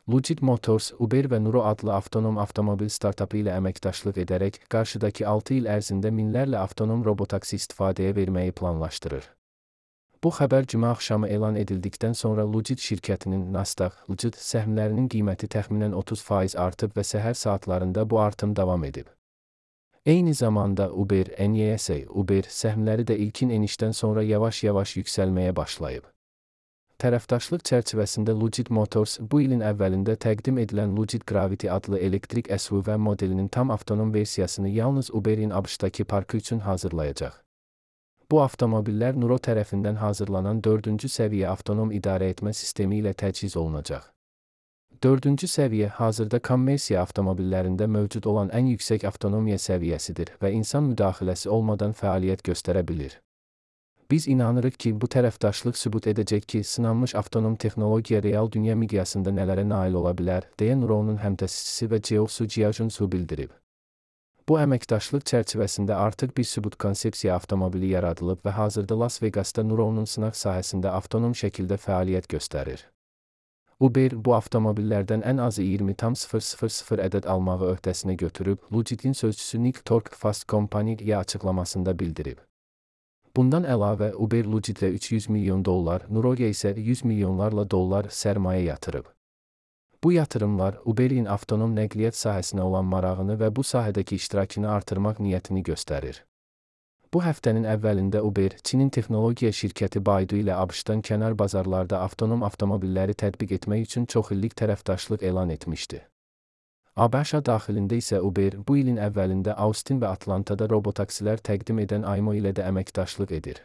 Lucid Motors, Uber və Nuro adlı avtonom avtomobil startapı ilə əməkdaşlıq edərək, qarşıdakı 6 il ərzində minlərlə avtonom robotaksi istifadəyə verməyi planlaşdırır. Bu xəbər cümə axşamı elan edildikdən sonra Lucid şirkətinin Nasdaq səhmlərinin qiyməti təxminən 30% artıb və səhər saatlarında bu artım davam edib. Eyni zamanda Uber səhmləri də ilkin enişdən sonra yavaş-yavaş yüksəlməyə başlayıb. Tərəfdaşlıq çərçivəsində Lucid Motors bu ilin əvvəlində təqdim edilən Lucid Gravity adlı elektrik SUV modelinin tam avtonom versiyasını yalnız Uber'in ABŞ-dakı parkı üçün hazırlayacaq. Bu avtomobillər Nuro tərəfindən hazırlanan 4-cü səviyyə avtonom idarəetmə sistemi ilə təchiz olunacaq. 4-cü səviyyə hazırda kommersiya avtomobillərində mövcud olan ən yüksək avtonomiya səviyyəsidir və insan müdaxiləsi olmadan fəaliyyət göstərə bilir. Biz inanırıq ki, bu tərəfdaşlıq sübut edəcək ki, sınanmış avtonom texnologiya real dünya miqyasında nələrə nail ola bilər, deyə Nuro'nun həmtəsisçisi və CEO-su Jiajun Su bildirib. Bu əməkdaşlıq çərçivəsində artıq bir sübut konsepsiya avtomobili yaradılıb və hazırda Las Vegasda Nuro'nun sınaq sahəsində avtonom şəkildə fəaliyyət göstərir. Uber bu avtomobillərdən ən azı 20,000 ədəd almağı öhdəsinə götürüb, Lucid'in sözçüsü Nick Tork Fast Company-yə açıqlamasında bildirib. Bundan əlavə, Uber Lucid'ə $300 milyon, Nuro'ya isə $100 milyonlarla sərmayə yatırıb. Bu yatırımlar, Uber'in avtonom nəqliyyat sahəsinə olan marağını və bu sahədəki iştirakını artırmaq niyyətini göstərir. Bu həftənin əvvəlində Uber, Çinin texnologiya şirkəti Baidu ilə ABŞ-dan kənar bazarlarda avtonom avtomobilləri tətbiq etmək üçün çoxillik tərəfdaşlıq elan etmişdi. ABŞ daxilində isə Uber, bu ilin əvvəlində Austin və Atlantada robotaksilər təqdim edən Aymo ilə də əməkdaşlıq edir.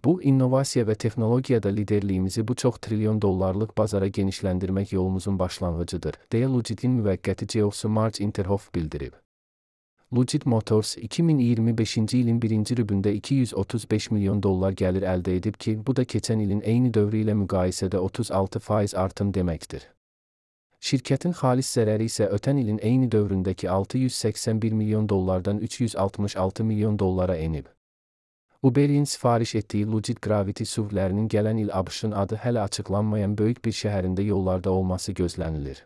Bu, innovasiya və texnologiyada liderliyimizi bu çox trilyon dollarlıq bazara genişləndirmək yolumuzun başlanğıcıdır, deyə Lucid'in müvəqqəti CEO-su Marge Interhoff bildirib. Lucid Motors 2025-ci ilin birinci rübündə $235 milyon gəlir əldə edib ki, bu da keçən ilin eyni dövrü ilə müqayisədə 36% artım deməkdir. Şirkətin xalis zərəri isə ötən ilin eyni dövründəki $681 milyon $366 milyon enib. Uber'in sifariş etdiyi Lucid Gravity SUV-lərinin gələn il ABŞ-ın adı hələ açıqlanmayan böyük bir şəhərində yollarda olması gözlənilir.